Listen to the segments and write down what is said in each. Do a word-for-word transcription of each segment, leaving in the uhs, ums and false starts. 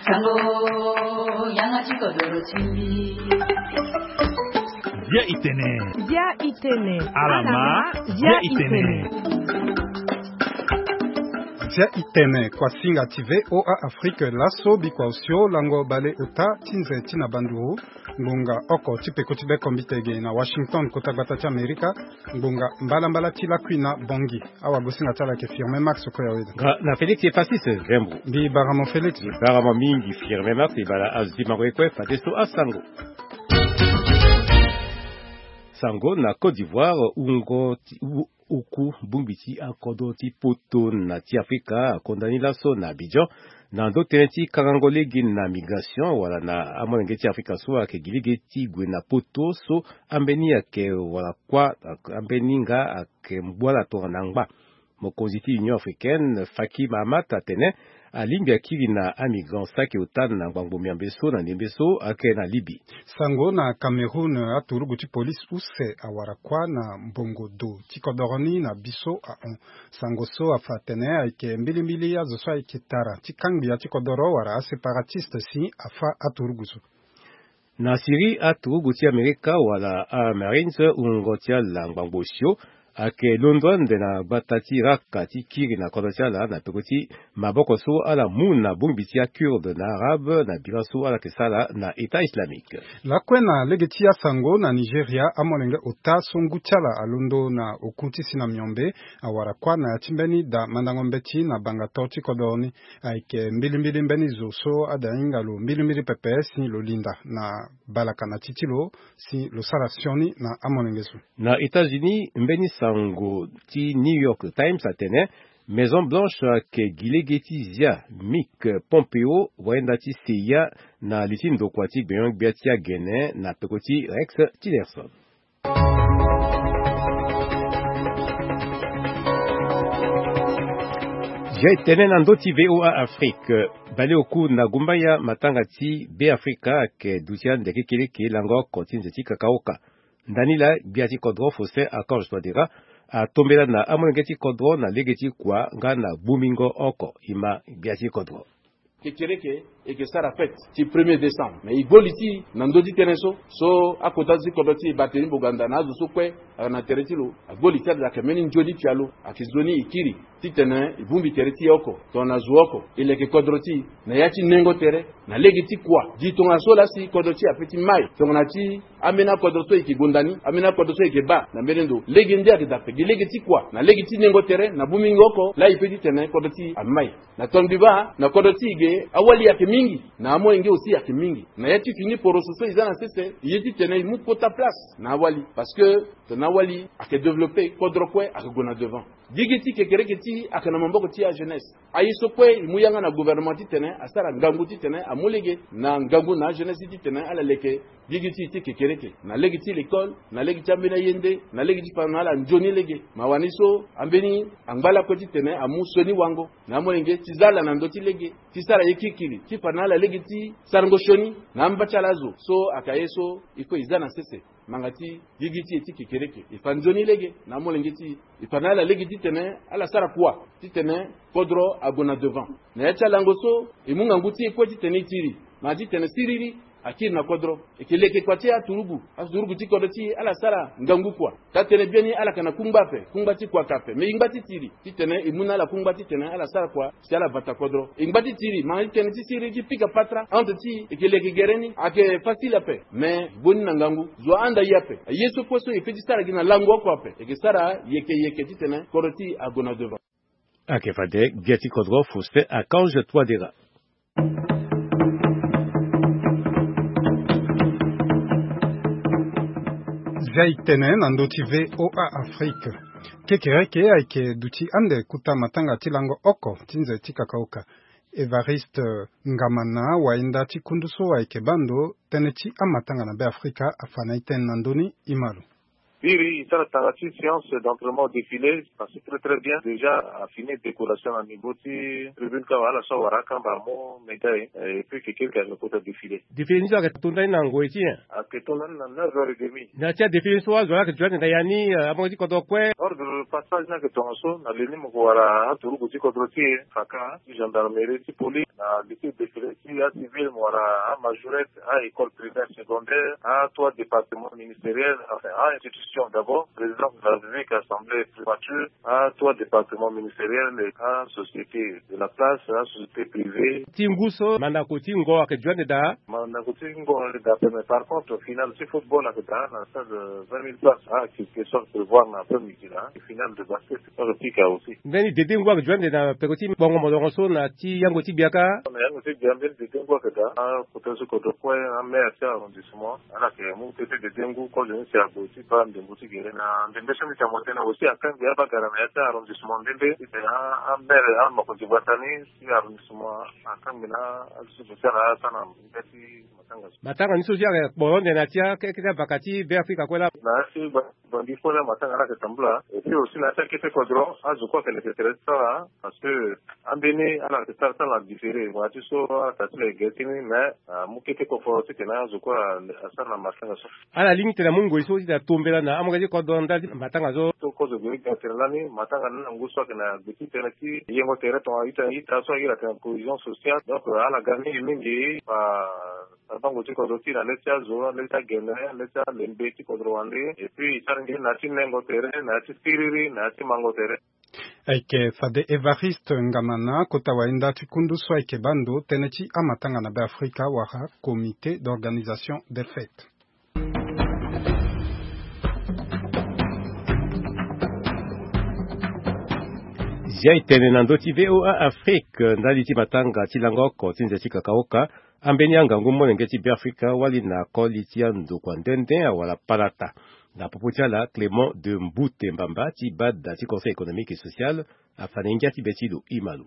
Sango, yanga ti kodoro ti mbi. Bia itene. Bia itene. Alama. Bia itene. Bia itene. Kuasinga ti VOA Afrique laso bikua osio lango bale ota ti nze ti na banduru. Ngbonga oko ti peko ti bekombite ge na Washington, kota gbata ti Amerika. Ngbonga mbalambala ti lakui na bongi. Awagosinga ti ala yeke Firmin Max Koyaweda. Nga na Félix Epasis Vembo. Mbi baramo Félix. Mbi baramo mingi Firmin Max. Ibala azi mango ye kue fadeso asango. Sango na Côte d'Ivoire, wungo ti wu- oku bongbi ti akodro ti poto na ti Afrika akonda ni laso na Abidjan na ndo tënë ti kangango lege na migration wala na amolenge ti Afrika so ayeke gi lege ti gue na poto so ambeni ayeke wala kuâ, ambeni nga ayeke mbuala tongana ngba. Mokonzi ti Union Africaine Faki Mahamat atene alingbi akiri na amigrant saki ota na ngbangbo miambe so na ndembe so ayeke na Libye. Sango na Cameroun, aturugu ti polise use awara kuâ na mbongo do ti kodoro ni na biso ahon. Sango so afa atene ayeke mbilimbili azo so ayeke tara ti kangbi ya ti kodoro wala aseparatiste si afa aturugu so. Na Syrie, aturugu ti Amerika wala aMarines wungo ti ala ngbangbo osio ayeke londo ande na gbata ti Raqqa ti kiri na kodro ti ala na peko ti maboko so ala mu na bongbi ti aKurde na Arabe na bira so ala yeke sara na État islamique. Lakue na lege ti asango na Nigeria, amolenge ota so ngu ti ala alondo na oku ti si na miombe awara kuâ na ya ti mbeni da mandango mbeti na banga to ti kodoro ni. Ayeke mbilimbili mbeni zo so ada hinga lo mbilimbili pepe si lo linda na balaka na ti ti lo si lo sara sioni na amolenge so. Na États-Unis, mbeni sango ti New York Times atene Maison Blanche ayeke gi lege ti zia Mike Pompeo wayenda ti seya na li ti ndokua ti gbenyo-gbia ti agene na peko ti Rex Tillerson. Zia e tene na ndö ti VOA Afrique. Baleoku na gumbaya matanga ti Beafrika ayeke duti ande kekereke lango oko ti nze ti kakaoka. Ndani laa gbia ti kodro Faustin Archange Touadéra atombela na amolenge ti kodro na lege ti kua nga na bumingo oko. E ma gbia ti kodro. Kekereke e yeke sara fête ti premier décembre, me e gbo li ti e na ndö ti tënë so so akota ti kodro ti e Barthélemy Boganda na azo so kue ayeke na tere ti lo agbo li ti ala ayeke mbeni nzoni pialo ayeke nzoni e kiri titene e bongbi tere ti e oko tongana zo oko e leke kodro ti e na ya ti nengo tere na lege ti kua gi tongana so laa si kodro ti e ape ti mai tongana ti ambeni akodro so e yeke gonda ni, ambeni akodro so e yeke baa na mbeni ndo lege nde ayeke daa ape gi lege ti kua na lege ti nengo tere na bumingo oko laa e pe titene kodro ti e amai. Na tongaso mbi baa na kodro ti e ge awali ayeke mingi na amolenge aussi ayeke mingi. Na ya ti fini poroso so e za na sese e ye titene e mu kota place na awali parce que tongana awali ayeke développé kodro kue ayeke gue na devant. Gigi ti kekereke ti e ayeke na maboko ti ajeunesse. Aye so kue e mu yanga na gouvernement titene asara ngangu titene amu lege na ngangu na ajeunesse ti titene ala leke gigi ti e ti kekereke na lege ti l'école, na lege ti ambeni aye nde, na lege ti fa na ala nzoni lege. Mawa ni so ambeni angba lakue titene amu sioni wango na amolenge ti za ala na ndö ti lege ti sara ye kirikiri ti fa na ala lege ti sarango sioni na amba ti ala azo. So ayeke aye so il faut e za na sese. Ngbanga ti gigi ti e ti kekereke e fa nzoni lege na amolenge ti e e fa na ala lege titene ala sara kua titene kodro ague na devant. Na ya ti alango so e mu ngangu ti e kue titene e tiri ngbanga titene siriri akiri na kodro. E yeke leke kua ti aturugu aturugu ti kodro ti e ala sara ngangu kua. Taa tënë biani ala yeke na kungba ape, kungba ti kua ayeke ape, me e ngba ti tiri titene e mu na ala kungba titene ala sara kua si ala vata kodro. E ngba ti tiri ngbanga ti tënë ti siriri ti pika patara entre ti e. E yeke leke gere ni ayeke facile ape, me boni na ngangu zo ahanda e ape. Aye so kue so e pe ti sara gi na lango oko ape e yeke sara yeke yeke titene kodro ti e ague na devant. Ayeke fade gbia ti kodro Faustin Archange Touadéra. Zia e tene na ndö ti VOA Afrique. Kekereke ayeke duti ande kota matanga ti lango oko ti nze ti kakaoka. Évariste Ngamana, wayenda ti kundu so ayeke baa ndo tënë ti amatanga na Beafrika, afa na e tënë na ndö ni. E ma lo. Iri e sara tanga ti séance d'entraînement au défilé, passé très très bien. Déjà a fini décoration na niveau ti tribune ka, wala so awara akamba amu médaille, et puis keke ayeke kota défilé. Défilé ni so ayeke to ndani na ngoi ti nyen? Ayeke to ndani na neuf heures et demie. Na ti adéfilé ni so azo ayeke joindre na ya ni, amonge ti kodro kue. Ordre passage ni ayeke tongaso, na le ni mo yeke wara aturugu ti kodro ti e, faka ti gendarmerie ti police, na lycée défilé ti acivil, mo wara amajorette, a école primaire, secondaire, a trois départements ministériels, enfin a institution d'abord, présidence de la République, assemblée, primature, a trois départements ministériels, a société de la place, a société privée. Ti ngu so mandako ti ngo ayeke joindre daa? Mandako ti ngo ayeke daa pe, mais par contre finale ti football ayeke daa na stade vingt mille places, a ayeke question prévoir na après midi na finale de basket. Olympique aussi. Mbeni dede ngu ayeke joindre na peko ti bongo molongo so na ti yango ti gbia ka? Na yango ti gbia mbeni dede ngu ayeke daa. Akota so kodro kue, amaire ti arrondissement, ala yeke mu tete dede ngu kozo ni si ague ti baa ndembo ti gere na ndembe so mbi ti amoto tënë aussi, akangbi abagara na ya ti arrondissement ndembe titene amaire, amakonzi gbata ni ti arrondissement akangbi na azo so mbi ti ala asara na nda ti matanga so. Matanga ni so si ayeke kporo nde na ti akete abaka ti Be Afrika kue laa? Na ya ti Bangui kue la matanga la yeke tambula. Et puis aussi na ya ti akete kodro azo kue ayeke leke tere ti sara, parce que ambeni ala yeke sara ti ala na différé, wala ti so ata ti la yeke gere ti ni, mais amu kete koforo titene azo kue asara na matanga so. Ala lingbi titene amu ngoi so titene atombela na amonge ti kodro ndali ti matanga so. So kozo gue ti ga tere lani matanga ni na ngu so ayeke na gbe ti tënë ti yengo tere tonga ita ita so aye la tene cohésion sociale. Donc ala ga mingi mingi ba Avango ti kodro ti na le ti azo, le ti agene, le ti alembe ti kodro wande. Et puis e sara nge na ya ti nengo tere, na ya ti siriri, na ya ti mango tere. Ayeke fade Évariste Ngamana, kota wayenda ti kundu so ayeke baa ndo tënë ti amatanga na Be Afrika wala Comité d'organisation des fêtes. Zia e tene na ndö ti V O A Afrique ndali ti matanga ti lango oko ti nze ti kakaoka. Ambeni angangu molenge ti Beafrika wali na koli ti andokua nde nde awara palata. Na popo ti ala, Clément de Mbute Mbamba ti bada ti Conseil économique et social afa na ngia ti be ti lo. Imalo.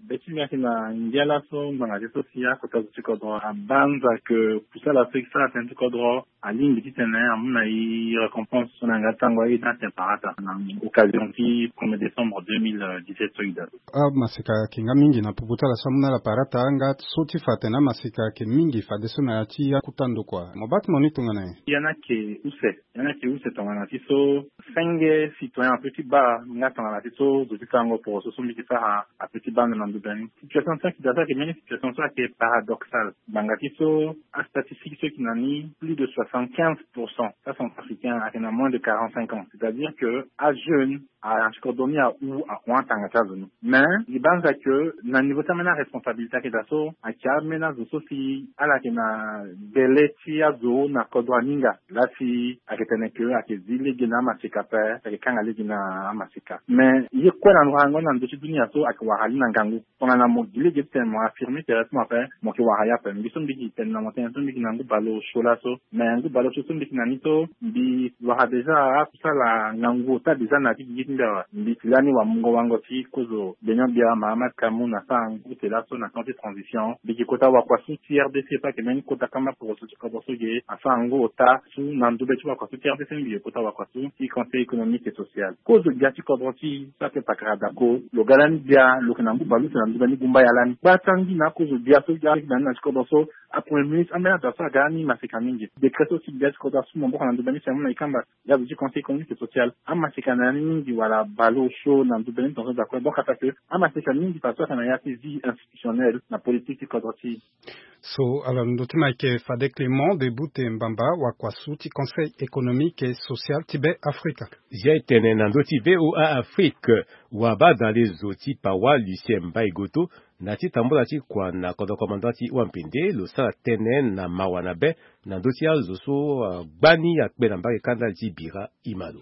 Be ti mbi ayeke na ngia laso ngbanga ti so si akota zo ti kodro abanza ke kusala so e sara tënë ti kodro alingbi titene amu na e récompense so na yanga ti tango aye ti atene parata na occasion ti premier décembre deux mille dix-sept so e daa. Amaseka ayeke nga mingi na popo ti ala so amu na ala parata nga so ti fa atene amaseka ayeke mingi fadeso na ya ti akota ndokua. Mo baa ti mo ni tongana nyen? Ya ni ayeke use, ya ni ayeke use tongana ti so senge citoyen ape ti baa nga tongana ti so zo ti sarango poroso so mbi yeke sara ape ti baa ndo na ndo be ni. Situation so ayeke daa so ayeke mbeni situation so ayeke paradoxale. Ngbanga ti so astatistique so e yeke na ni, plus de soixante-quinze pour cent ti acentrafricain ayeke na moins de quarante-cinq ans, c'est-à-dire que ajeune ayeke na ti kodro ni ahu ahon atanga ti azo ni. Mais e banza ke na niveau ti ambeni aresponsabilité ayeke daa so ayeke ambeni azo so si ala yeke na bele ti azo na kodro aninga. Laa si ayeke tene ke ayeke zi lege na amaseka ape, ayeke kanga lege na amaseka. Mais ye kue na ndokua yango na ndö ti dunia so ayeke wara li na ngangu. Tongana mo gi lege ti tene mo affirmer tere ti mo ape, mo yeke wara ye ape. Mbi so mbi yeke tene na mo tënë so mbi yeke na ngu baleosio laso. Mais ngu baleosio so mbi yeke na ni so mbi wara déjà akusala ngangu ota déjà na ya ti gigi ti mbi awe. Mbi yeke lani wamungo wango ti kozo Benoît Biawa Mahamat Kamoun asara ngu ute laso na temps ti transition. Mbi yeke kota wakua su ti R D C pe ayeke mbeni kota kamba poroso ti kodro so ge asara ngu ota su na ndo be ti wakua su ti R D C mbi yeke kota wakua su ti Conseil économique et social. Kozo gbia ti kodro ti e so ayeke pakara dako, lo ga lani gbia, lo yeke na ngu baleuse na ndo be ni gumba ya lani. Gbata ngi na akozo gbia so ga lani na ti kodro so, apremier ministre ambeni azo so aga lani maseka mingi. Décret so si gbia ti kodro asu maboko na ndo be ni si amu na e kamba. Ya zo ti Conseil économique et social amaseka na ya ni mingi wala baleosio na ndo be ni tongaso daa kue. Donc ataa ke amaseka mingi fadeso ayeke na ya ti vie institutionnelle na politique ti kodro ti e. So ala ndö ti mo ayeke fade Clément de Bute Mbamba, wakua su ti Conseil économique et social ti Be Afrika. Zia e tene na ndö ti V O A Afrique, wabadale zo ti Pawa Lucien Mbaye Goto na ti tambula ti kua na kodro commandant ti Wampende lo sara tënë na mawa na be na ndö ti azo so agbani akpe na mbage kanda ti bira. Imalo.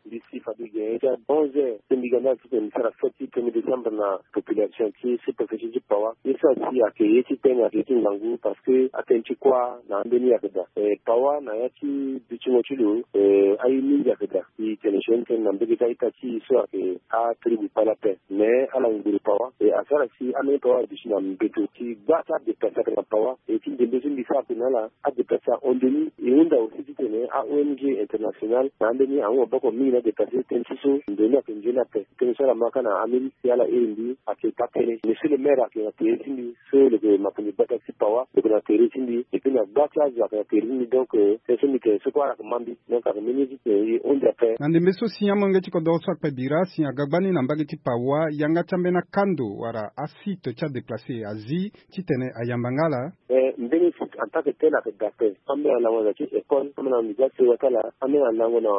Mbi si fade ge ti a onze heures ti mbi ga ndali titene mbi sara fête ti premier décembre na population ti sous-préfecture ti Paoua. Ye so asi ayeke ye ti tene, ayeke ye ti ngangu parce que atene ti kuâ na ambeni ayeke daa. Eh, Paoua na ya ti dutingo ti lo, eh, aye mingi ayeke daa. E tene sioni tënë na mbege ti a-ita ti e so ayeke atribu Pala ape. Mais ala nguru Paoua e asara si ambeni Paoua aduti na mbeto. Ti gba ti adéplacé ayeke na Paoua. E ti ndembe so mbi sara tene na ala, adéplacé ahon ndoni. E hunda aussi titene a-O N G international na ambeni ahon maboko mingi na adéplacé tënë ti so ndoni ayeke nzoni ape. Tënë so ala ma kâ na Amérique si ala iri mbi ayeke taa tënë. Monsieur le maire ayeke na tere ti mbi so lo yeke makonzi gbata ti Paoua, lo yeke na tere ti mbi. Et puis na gba ti azo ayeke na tere ti mbi. Donc, euh, tënë so mbi tene so kue ala yeke ma mbi. Donc ayeke mbeni ye ti tene e hunda ape. Na ndembe so si amolenge ti kodoro so akpe bira si aga gbani na mbage ti Paoua, yanga ti ambeni akando wala asite ti adéplacé azi titene ayamba nga ala? Eh, mbeni site en tant que tel ayeke daa ape. Ambeni alango na ya ti école, ambeni alango na ya ti sewa ti ala, ambeni alango na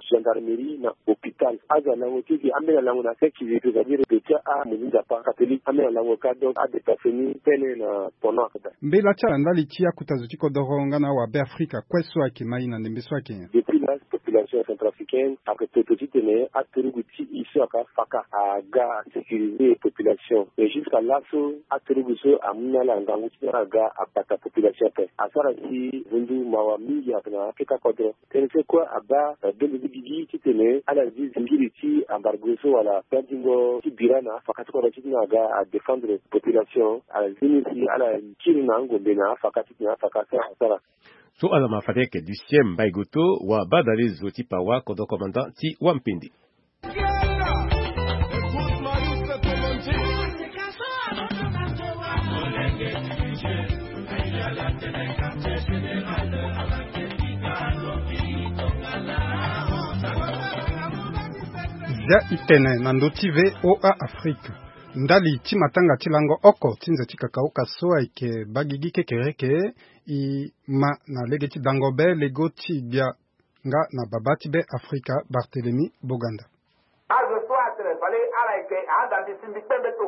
gendarmerie na hôpital. Azo alango ti e, ambeni alango na seki, c'est-à-dire de ti amoninga pa catholique, ambeni alango kâ. Donc adéplacé ni tënë na pendant ayeke daa. Mbela ti ala ndali ti akota zo ti kodoro nga na awabe Afrika kue so ayeke ma e na ndembe so ayeke nyen? Depuis là, population centrafricaine ayeke toto titene aturugu ti e so ayeke afaka aga asécuriser population. Mais jusqu'à laso aturugu so amu na ala ngangu titene ala ga abata population ape. Asara si vundu mawa mingi ayeke na akeka kodro. Tënë so kue abaa, eh, bendo ti gigi titene ala zi zingiri ti embargo so wala gbandingo ti bira na afaka ti kodro titene aga adéfendre population. Ala zi ni si ala kiri na angombe na afaka titene afaka so asara. So ala ma fade ayeke Lucien Mbaye Goto, wabadalezo ti Paoua, kodro commandant ti Wampende. Zia e tene na ndö ti V O A Afrique. Ndali ti matanga ti lango oko ti nze ti kakaoka so ayeke baa gigi kekereke, e ma na lege ti dango be lego ti gbia nga na babâ ti Be Afrika, Barthélemy Boganda. Azo so atene fade ala yeke ahanda mbi si mbi kpe mbeto.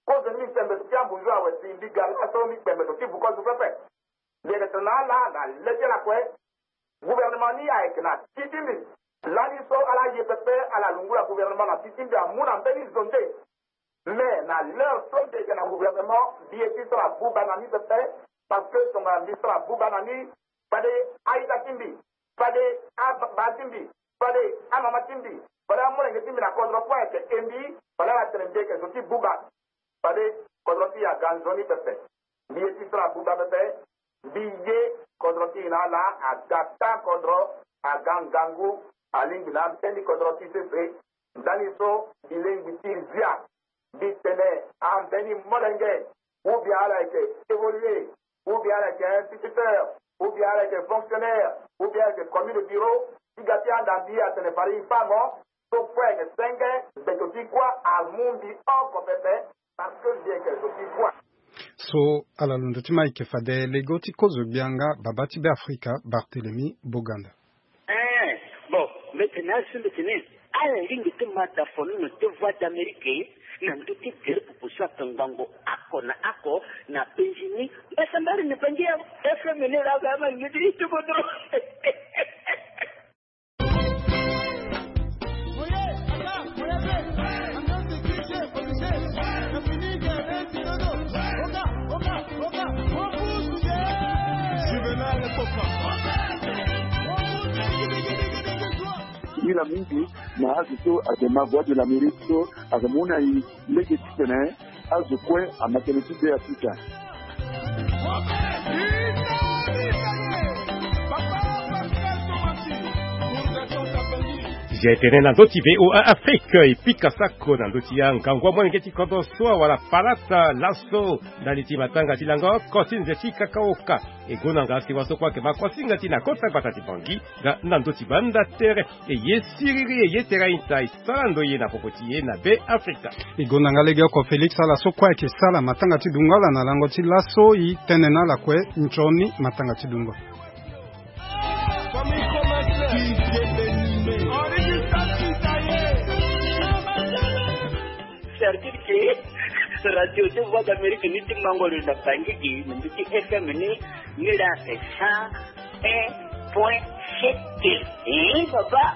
Kozo ni mbi kpe mbeto ti ambunzu awe si mbi ga laso mbi kpe mbeto ti vu kozo pepe. Mbi yeke tene na ala na le ti ala kue. Gouvernement ni ayeke na ti ti mbi. Lani so ala ye pepe ala lungula gouvernement na ti ti mbi amu na mbeni zo nde. Mais na l'heure so mbi yeke na gouvernement, mbi ye ti sara buba na ni pepe, parce que tongana mbi sara buba na ni, fade a-ita ti mbi, fade ababa ti mbi, fade amama ti mbi, fade amolenge ti mbi na kodro kue ayeke e mbi, fade ala tene mbi yeke zo ti buba. Fade kodro ti e aga nzoni pepe. Mbi ye ti sara buba pepe. Mbi ye kodro ti e na ala aga taa kodro, aga ngangu, alingbi na ambeni kodro ti sese. Ndani so mbi lingbi ti zia. Mbi tene ambeni molenge, ou bien ala yeke évoluer, ou bien ala yeke instituteur, ou bien ala yeke fonctionnaire, ou bien ala yeke commis de bureau, ti ga ti handa mbi atene fade e fa mo. So kue ayeke senge, mbeto ti kuâ amu mbi oko pepe, parce que mbi yeke zo ti kuâ. So ala londo ti ma ayeke fade lego ti kozo gbia nga babâ ti Be Afrika, Barthélemy Boganda. Eh, bon, mbi tene asi mbi tene ala lingbi ti ma dafono na ti Voix d'Amérique na ndö ti gere popo so ayeke ngangu oko na oko na penzi ni. Mbasambari na Bangi ya F M ni la ga ma ni ti kodro. Juvenal Koka. Ngira mingi na azo so ayeke ma Voix de l'Amérique so ayeke mu na e lege titene azo kue ama tënë ti Be Afrika. Zia e tene na ndö ti V O A Afrique, e pika sako na ndö ti angangu amolenge ti kodro so awara palata laso ndali ti matanga ti lango oko ti nze ti kakaoka. E gonda nga si wa so kue ayeke ma kosinga ti na kota gbata ti Bangi nga na ndö ti banda tere. E ye siriri, e ye tere a-ita, e sara ndoye na popo ti e na Be Afrika. E gonda nga legeoko Félix ala so kue ayeke sara matanga ti dungo ala na lango ti laso, e tene na ala kue nzoni matanga ti dungo. Certifié radio de Voix d'Amérique ni ti mango lo na Bangi gi, na ndö ti F M ni, ni la cent un point sept. Eh, papa.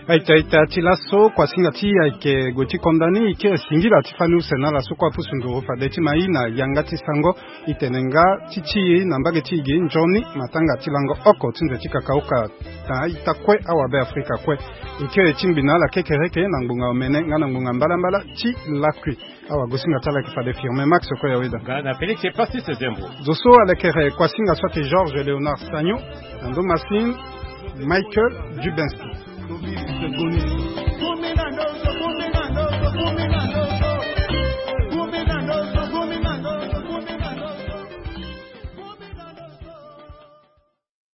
Aita aita ti laso kuasinga ti ayeke gue ti konda ni e kiri singila ti fani use na ala so kue apusu nduru fade ti ma e na yanga ti sango. E tene nga ti ti e na mbage ti e gi nzoni matanga ti lango oko ti nze ti kakaoka na aita kue awabe afrika kue. E kiri ti ngbi na ala kekereke na ngbonga omene nga na ngbonga mbalambala ti lakui. Awa gosinga ti ala yeke fade firme max oko ya weda. Nga na Félix Epasis Zembo. Zo so alekere kuasinga so ate Georges Léonard Sagno. Na ndo masine Michael Dubensky.